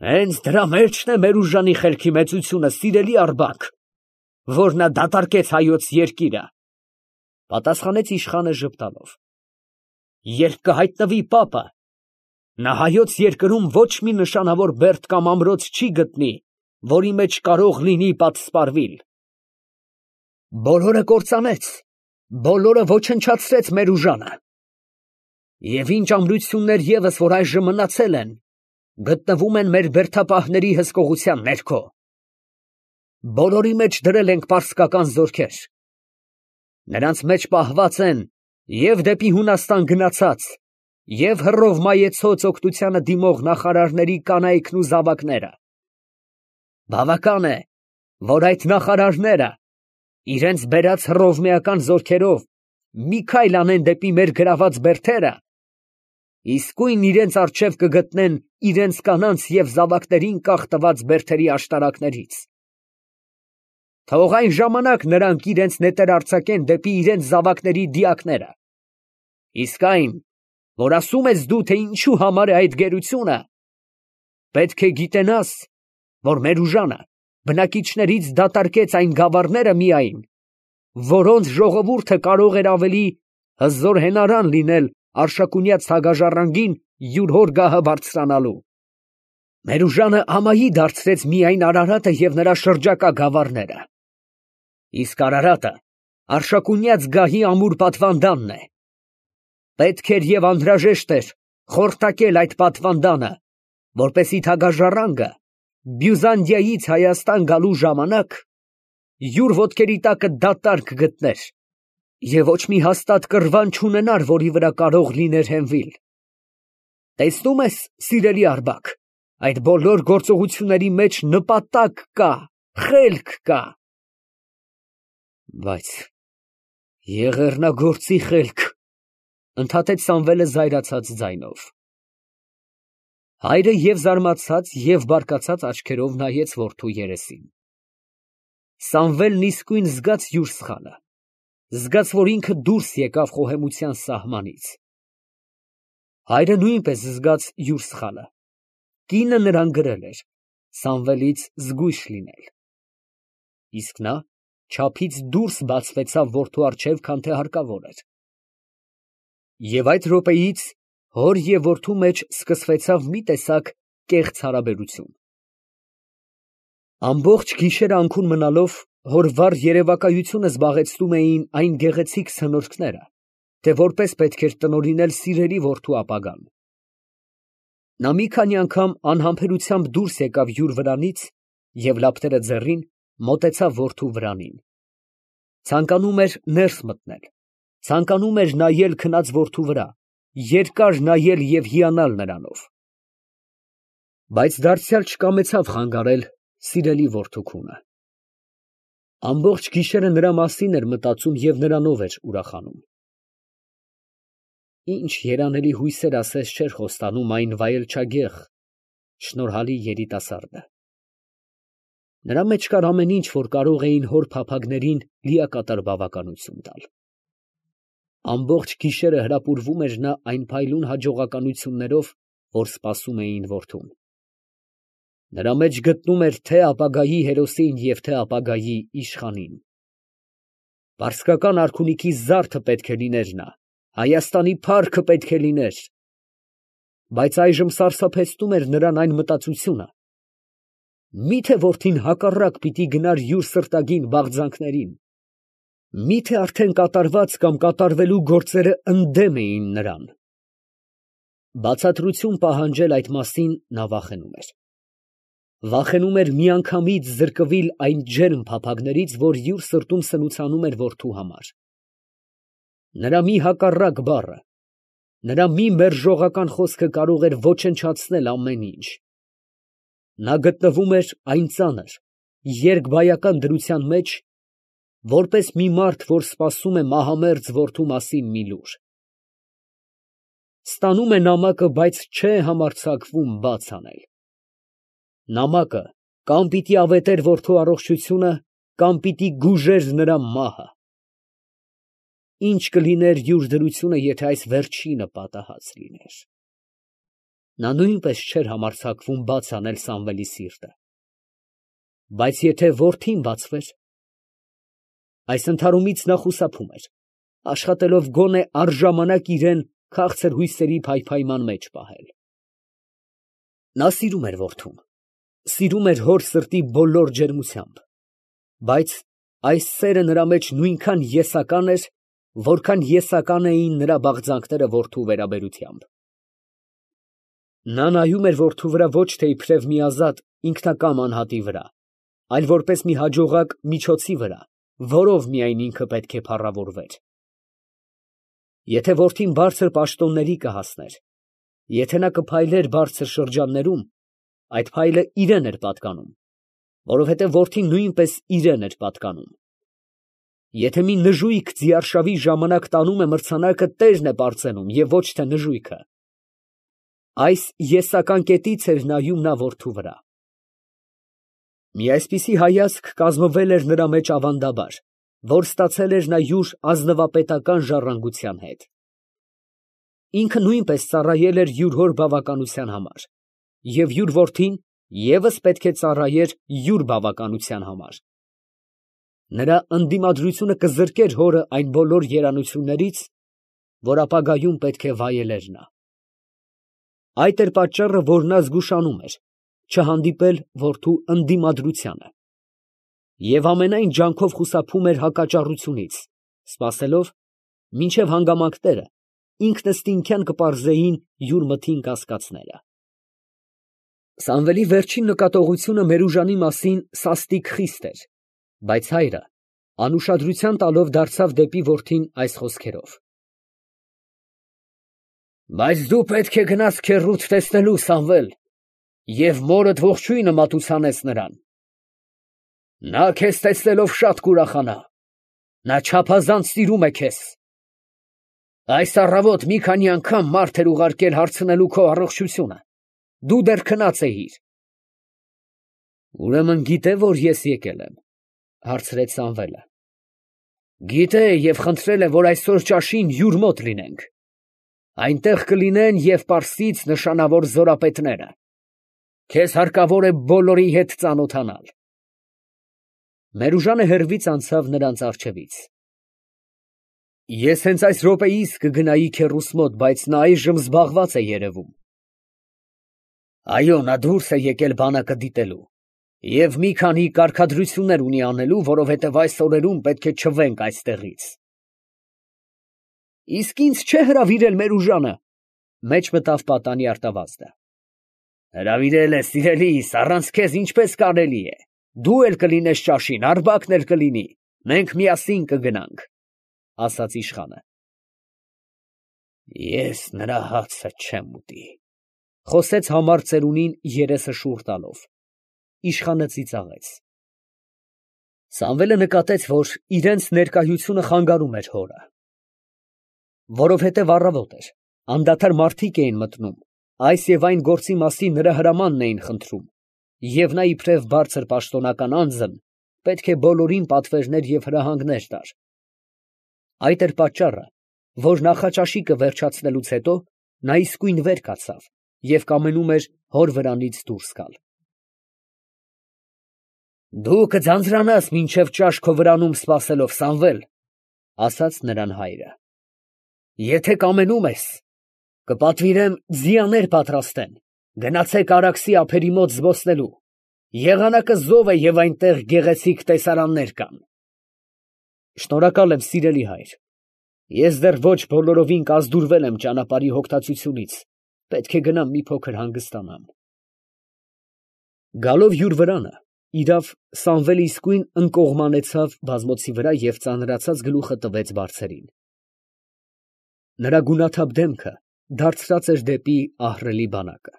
Հենց դրա մեջն է մեր ուժանի խելքի մեծությունը, սիրելի Աղբակ, որ նա դատարկեց հայոց երկիրը, ֊ պատասխանեց իշխանը ժպտալով։ Երբ կհայտնվի պապը, նա հայոց երկրում ոչ մի նշանավոր բերդ կամ ամրոց չի գտնի, որի մեջ կարող լինի պատսպարվիլ։ Բոլորը կործանեց, բոլորը ոչնչացրեց մեր ուժանը։ Եվ ինչ ամրություններ ևս, որ այժմ մնացել են, գտնվում են մեր բերդապահների հսկողության ներքո։ Բոլորի մեջ դրել ենք պարսկական զորքեր։ Նրանց մեջ պահված են և դեպի Հունաստան գնացած, և հռով մայեցոց օգնությանը դիմող նախարարների կանայքն ու զավակները։ Բավական է, որ այդ նախարարները իրենց բերած հռովմեական զորքերով մի քայլ անեն դեպի մեր գրաված բերդերը, իսկույն իրենց առջև կգտնեն իրենց կանանց և զավակներին կախ տված բերդերի աշտարակներից։ Թող այն ժամանակ նրանք իրենց նետերը արձակեն դեպի իրենց զավակների դիակները։ Իսկ այն, որ ասում ես դու, թե ինչու համար է այդ գերությունը, պետք է գիտենաս, որ մեր ուժանը բնակիչներից դատարկեց այն գավառները միայն, որոնց ժողովուրդը կարող էր ավելի հզոր հենարան լինել Արշակունյաց թագաժառանգին յուր հոր գահը բարձրանալու։ Մեր ուժանը ամայի դարձրեց միայն Արարատը և նրա շրջակա գավառները։ Իսկ Արարատը Արշակունյաց գահի ամուր պատվանդանն է։ Պետք էր և անհրաժեշտ էր խորտակել այդ պատվանդանը, որպեսզի թագաժառանգը Բյուզանդիայից Հայաստան գալու ժամանակ յուր ոտքերի տակը դատարկ գտներ և ոչ մի հաստատ կռվան չունենար, որի վրա կարող լիներ հենվել։ Տեսնում ես, սիրելի Աղբակ, այդ բոլոր գործողությունների մեջ նպատակ կա, խելք կա։ Բայց եղեռնագործի խելք, ֊ ընդհատեց Սամվելը զայրացած ձայնով։ Հայրը և զարմացած, և բարկացած աչքերով նայեց որդու երեսին։ Սամվելն իսկույն զգաց յուր սխալը, զգաց, որ ինքը դուրս եկավ խոհեմության սահմանից։ Հայրը նույնպես զգաց յուր սխալը։ Կինը նրան գրել էր Սամվելից զգույշ լինել։ Իսկ նա չափից դուրս բացվեցավ որդու առջև, քան թե հարկավոր էր։ Եվ այդ րոպեից հոր և որդու մեջ սկսվեցավ մի տեսակ կեղծ հարաբերություն։ Ամբողջ գիշերը անքուն մնալով, հոր վառ երևակայությունը զբաղեցնում էին այն գեղեցիկ սնորքները, թե որպես պետք էր տնօրինել սիրելի որդու ապագան։ Նա մի քանի անգամ անհամբերությամբ դուրս եկավ յուր վրանից և լապտերը ձեռին մոտեցավ որդու վրանին։ Ցանկանում էր ներս մտնել, ցանկանում էր նայել քնած որդու վրա, երկար նայել և հիանալ նրանով։ Բայց դարձյալ չկամեցավ խանգարել սիրելի որդու քունը։ Ամբողջ գիշերը նրա մասին էր մտածում և նրանով էր ուրախանում։ Ինչ երանելի հույսեր ասես չէր խոստանում այն վայելչագեղ, շնորհալի երիտասարդը։ Նրա մեջ կար ամեն ինչ, որ կարող էին հոր փափագներին լիակատար բավականություն տալ։ Ամբողջ գիշերը հրապուրվում էր նա այն փայլուն հաջողականություններով, որ սպասում էին որդուն։ Նրա մեջ գտնում էր թե ապագայի հերոսին և թե ապագայի իշխանին։ Պարսկական արքունիքի զարդը պետք է լիներ նա, Հայաստանի փառքը պետք է լիներ։ Բայց այժմ սարսափեցնում էր նրան այն մտածությունը. միթե որդին հակառակ պիտի գնար յուր սրտագին բաղձանքներին, միթե արդեն կատարված կամ կատարվելու գործերը ընդդեմ էին նրան։ Բացատրություն պահանջել այդ մասին նա վախենում էր։ Վախենում էր միանգամից զրկվել այն ջերմ փափագներից, որ յուր սրտում սնուցանում էր որդու համար։ Նրա մի հակառակ բառը, նրա մի մերժողական խոսքը կարող էր ոչնչացնել ամեն ինչ։ Նա գտնվում էր այն ծանր, երկբայական դրության մեջ, որպես մի մարդ, որ սպասում է մահամերձ որդու մասին մի լուր։ Ստանում է նամակը, բայց չէ համարձակվում բաց անել։ Նամակը կամ պիտի ավետեր որդու առողջությունը, կամ պիտի գուժեր նրա մահը։ Ի՞նչ կլիներ յուր դրությունը, եթե այս վերջինը պատահած լիներ։ Նա նույնպես չէր համարձակվում բաց անել Սամվելի սիրտը։ Բայց եթե որդին բացվեր, այս ընդհարումից նա խուսափում էր, աշխատելով գոնե առժամանակ իրան քաղցր հույսերի փայփայման մեջ պահել։ Նա սիրում էր որդուն, սիրում էր հոր սրտի բոլոր ջերմությամբ, բայց այս սերը նրա մեջ նույնքան եսական էր, որքան եսական էին նրա բաղձանքները որդու վերաբերությամբ։ Նա նայում էր որդու վրա ոչ թե իբրև մի ազատ ինքնակամ անհատի վրա, այլ որպես մի հաջողակ միջոցի վրա, որով միայն ինքը պետք է փառավորվեր։ Եթե որդին բարձր պաշտոնների կհասներ, եթե նա կփայլեր բարձր շրջաններում, այդ փայլը իրան էր պատկանում, որովհետև որդին նույնպես իրան էր պատկանում։ Եթե մի նժույգ ձիարշավի ժամանակ տանում է մրցանակը, տերն է պարծենում և ոչ թե նժույգը։ Այս եսական կետից էր նայում նա որդու վրա։ Մի այսպիսի հայացք կազմվել էր նրա մեջ ավանդաբար, որ ստացել էր նա յուր ազնվապետական ժառանգության հետ։ Ինքը նույնպես ծառայել էր յուր հոր բավականության համար, և յուր որդին ևս պետք է ծառայեր յուր բավականության համար։ Նրա ընդդիմադրությունը կզրկեր հորը այն բոլոր երանություններից, որ ապագայում պետք է վայելեր նա։ Այդ էր պատճառը, որ նա զգուշանում էր չհանդիպել որդու ընդդիմադրությանը և ամենայն ջանքով խուսափում էր հակաճառությունից, սպասելով, մինչև հանգամանքները ինքնըստինքյան կպարզեին յուր մտին կասկածները։ Սամվելի վերջին նկատողությունը Մերուժանի մասին սաստիկ խիստ էր, բայց հայրը անուշադրության տալով դարձավ դեպի որդին այս խոսքերով. Բայց դու պետք է գնաս քեռուդ տեսնելու, Սամվել, և մորդ ողջույնը մատուցանես նրան. նա քեզ տեսնելով շատ կուրախանա, նա չափազանց սիրում է քեզ։ Այս առավոտ մի քանի անգամ մարդ էր ուղարկել հարցնելու քո առողջությունը, դու դեռ քնած էիր։ Ուրեմն գիտե, որ ես եկել եմ, հարցրեց Սամվելը։ Գիտե և խնդրել է, որ այսօր ճաշին յուր մոտ լինենք։ Այնտեղ կլինեն և պարսից նշանավոր զորապետները։ Քեզ հարկավոր է բոլորի հետ ծանոթանալ։ Մերուժանը հեռվից անցավ նրանց առջևից։ Ես հենց այս րոպեիս կգնայի քեռուս մոտ, բայց նա այժմ զբաղված է երևում։ Այո, նա դուրս է եկել բանակը դիտելու և մի քանի կարգադրություններ ունի անելու, որովհետև այս օրերում պետք է չվենք այստեղից։ Իսկ ինձ չէ հրավիրել Մերուժանը, մեջ մտավ պատանի արտավազդը։ Հրավիրել է, սիրելիս, առանց քեզ ինչպես կարելի է։ Դու էլ կլինես ճաշին, Արտակն էլ կլինի, մենք միասին կգնանք, ասաց իշխանը։ Ես նրա հացը չեմ ուտի, խոսեց համառ ծերունին երեսը շուռ տալով։ Իշխանը ծիծաղեց։ Սամվելը նկատեց, որ իրենց ներկայությունը խանգարում էր հորը։ Որովհետև առավոտ էր, անդադար մարդիկ էին մտնում, այս և այն գործի մասին նրա հրամանն էին խնդրում, և նա իբրև բարձր պաշտոնական անձն պետք է բոլորին պատվերներ և հրահանգներ տար։ Այդ էր պատճառը, որ նախաճաշիկը վերջացնելուց հետո նա իսկույն վեր կացավ և կամենում էր հոր վրանից դուրս գալ։ Դու կձանձրանաս մինչև ճաշ քո վրանում սպասելով, Սամվել, ասաց նրան հայրը։ Եթե կամենում ես, կպատվիրեմ ձիաներ պատրաստեն, գնացեք Արաքսի ափերի մոտ զբոսնելու, եղանակը զով է և այնտեղ գեղեցիկ տեսարաններ կան։ Շնորհակալ եմ, սիրելի հայր, ես դեռ ոչ բոլորովին կազդուրվել եմ ճանապարհի հոգտացությունից, պետք է գնամ մի փոքր հանգստանամ։ Գալով յուր վրանը, իրավ, Սամվելը իսկույն ընկողմանեցավ բազմոցի վրա և ծանրացած գլուխը տվեց բարձերին։ Նրա գունաթափ դեմքը դարձրած էր դեպի ահռելի բանակը,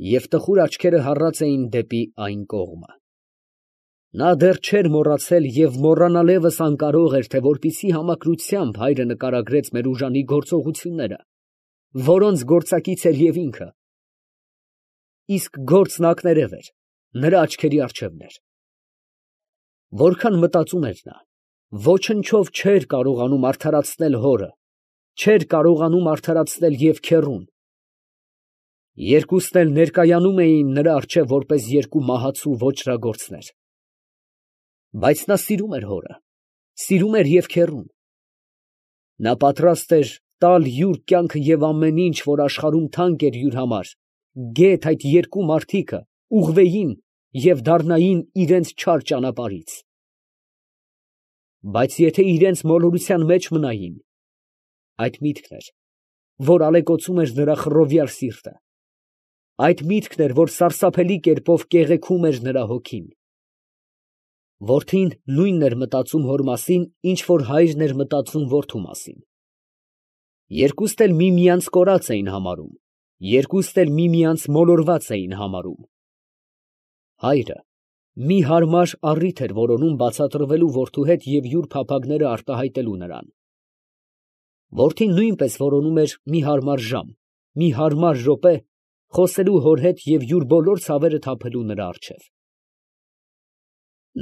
և տխուր աչքերը հառած էին դեպի այն կողմը։ Նա դեռ չէր մոռացել և մոռանալ ևս անկարող էր, թե որպիսի համակրությամբ հայրը նկարագրեց Մերուժանի գործողությունները, որոնց գործակից էր և ինքը։ Իսկ գործն ակներև էր, նրա աչքերի առջևն էր։ Որքան մտածում էր նա, ոչնչով չէր կարողանում արդարացնել հորը, չէր կարողանում արդարացնել և քեռուն։ Երկուստ էլ ներկայանում էին նրա առջև որպես երկու մահացու ոճրագործներ։ Բայց նա սիրում էր հորը, սիրում էր և քեռուն։ Նա պատրաստ էր տալ յուր կյանքը և ամեն ինչ, որ աշխարհում թանկ էր յուր համար, գեթ այդ երկու մարդիկը ուղղվեին և դառնային իրենց չար ճանապարհից։ Բայց եթե իրենց մոլորության մեջ մնային, այդ միտքն էր, որ ալեկոծում էր նրա խռովյալ սիրտը, այդ միտքն էր, որ սարսափելի կերպով կեղեքում էր նրա հոգին։ Որդին նույնն էր մտածում հոր մասին, ինչ որ հայրն էր մտածում որդու մասին։ Երկուստ էլ միմյանց կորած էին համարում, երկուստ էլ միմյանց մոլորված էին համարում։ Հայրը մի հարմար առիթ էր որոնում բացատրվելու որդու հետ և յուր փափագները արտահայտելու նրան։ Որդին նույնպես որոնում էր մի հարմար ժամ, մի հարմար րոպե խոսելու հոր հետ և յուր բոլոր ցավերը թափելու նրա առջև։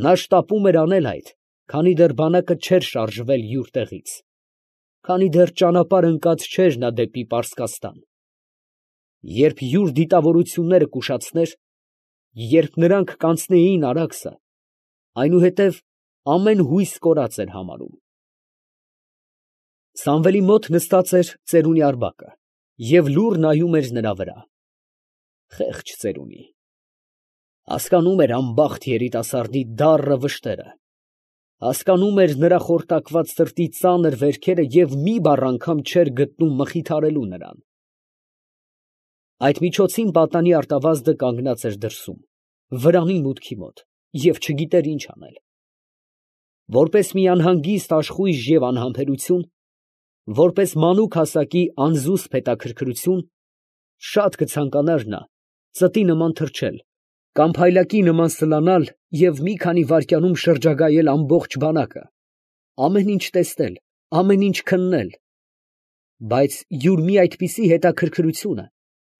Նա շտապում էր անել այդ, քանի դեռ բանակը չէր շարժվել յուր տեղից, քանի դեռ ճանապարհ ընկած չէր նա դեպի Պարսկաստան։ Երբ յուր դիտավորությունները կուշացներ, երբ նրանք կանցնեին Արաքսը, այնուհետև ամեն հույս կորած էր համարում։ Սամվելի մոտ նստած էր ծերունի Արձակը և լուռ նայում էր նրա վրա։ Խեղճ ծերունի, հասկանում էր անբախտ երիտասարդի դառը վշտերը, հասկանում էր նրա խորտակված սրտի ծանր վերքերը և մի բառ անգամ չէր գտնում մխիթարելու նրան։ Այդ միջոցին պատանի արտավազդը կանգնած էր դրսում, վրանի մուտքի մոտ, և չգիտեր ինչ անել։ Որպես մի անհանգիստ աշխույժ և անհամբերություն, որպես մանուկ հասակի անզուսպ հետաքրքրություն, շատ կցանկանար նա ծտի նման թռչել կամ փայլակի նման սլանալ և մի քանի վայրկյանում շրջագայել ամբողջ բանակը, ամեն ինչ տեսնել, ամեն ինչ քննել, բայց յուր մի այդպիսի հետաքրքրությունը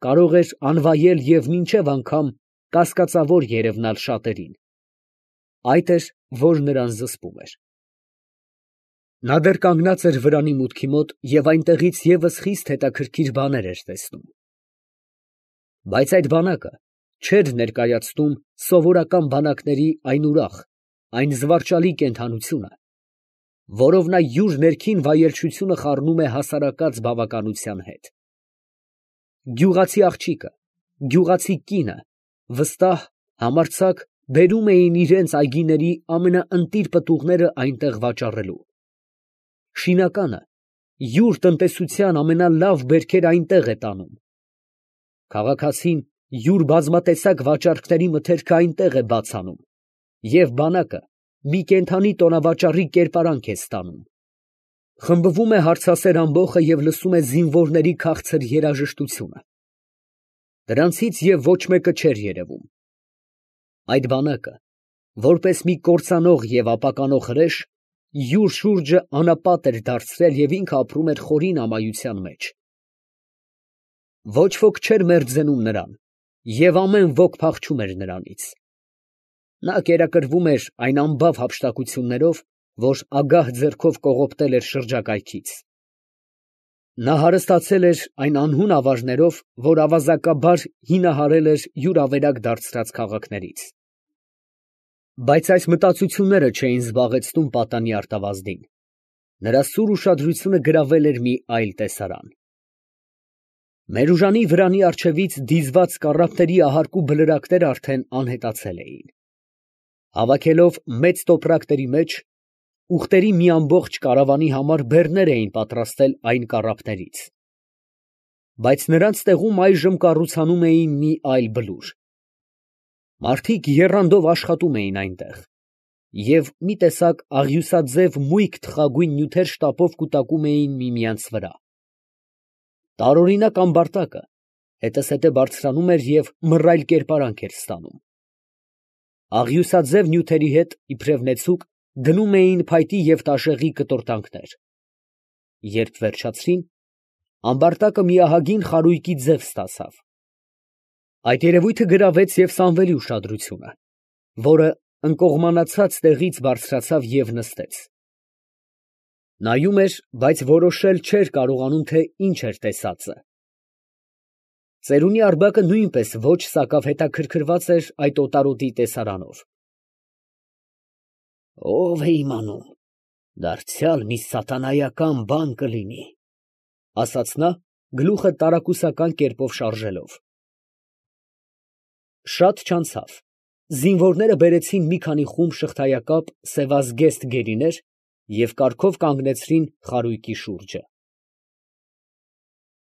կարող էր անվայել և մինչև անգամ կասկածավոր երևնալ շատերին։ Այդ էր, որ նրան զսպում էր։ Նա դեռ կանգնած էր վրանի մուտքի մոտ և այնտեղից ևս խիստ հետաքրքիր բաներ էր տեսնում։ Բայց այդ բանակը չէր ներկայացնում սովորական բանակների այն ուրախ, այն զվարճալի կենդանությունը, որով նա յուր ներքին վայելչությունը խառնում է հասարակած բավականության հետ։ Գյուղացի աղջիկը, գյուղացի կինը վստահ, համարձակ բերում էին իրենց այգիների ամենաընտիր պտուղները այնտեղ վաճառելու։ Շինականը յուր տնտեսության ամենալավ բերքերը այնտեղ է տանում։ Քաղաքացին յուր բազմատեսակ վաճառքների մթերքը այնտեղ է բաց անում, և բանակը մի կենդանի տոնավաճառի կերպարանք է ստանում։ Խմբվում է հարցասեր ամբոխը և լսում է զինվորների քաղցր երաժշտությունը։ Դրանցից և ոչ մեկը չէր երևում։ Այդ բանակը, որպես մի կործանող և ապականող հրեշ, յուր շուրջը անապատ էր դարձրել և ինքն ապրում էր խորին ամայության մեջ։ Ոչ ոք չէր մերձենում նրան, և ամեն ոք փախչում էր նրանից։ Նա կերակրվում էր այն անբավ հափշտակություններով, որ ագահ ձեռքով կողոպտել էր շրջակայքից։ Նա հարստացել էր այն անհուն ավարներով, որ ավազակաբար հինահարել էր յուր ավերակ դարձրած քաղաքներից։ Բայց այս մտածությունները չէին զբաղեցնում պատանի արտավազդին. նրա սուր ուշադրությունը գրավել էր մի այլ տեսարան։ Մերուժանի վրանի առջևից դիզված կառափների ահարկու բլրակները արդեն անհետացել էին։ Հավաքելով մեծ տոպրակների մեջ, ուղտերի մի ամբողջ կարավանի համար բեռներ էին պատրաստել այն կառափներից։ Բայց նրանց տեղում այժմ կառուցանում էին մի այլ բլուր։ Մարդիկ եռանդով աշխատում էին այնտեղ, և մի տեսակ աղյուսաձև մույկ թխագույն նյութեր շտապով կուտակում էին միմյանց վրա։ Տարօրինակ ամբարտակը հետզհետե բարձրանում էր և մռայլ կերպարանք էր ստանում։ Աղյուսաձև նյութերի հետ, իբրև նեցուկ, դնում էին փայտի և տաշեղի կտորտանքներ։ Երբ վերջացրին, ամբարտակը մի ահագին խարույկի ձև ստացավ։ Այդ երևույթը գրավեց և Սամվելի ուշադրությունը, որը ընկողմանացած տեղից բարձրացավ և նստեց։ Նայում էր, բայց որոշել չէր կարողանում, թե ինչ էր տեսածը։ Ծերունի Արգբակը նույնպես ոչ սակավ հետաքրքրված էր այդ օտարոտի տեսարանով։ Ո՞վ է իմանում, դարձյալ մի սատանայական բան կլինի, ֊ ասաց նա, գլուխը տարակուսական կերպով շարժելով։ Շատ չանցավ, զինվորները բերեցին մի քանի խումբ շղթայակապ սևազգեստ գերիներ և կարգով կանգնեցրին խարույկի շուրջը։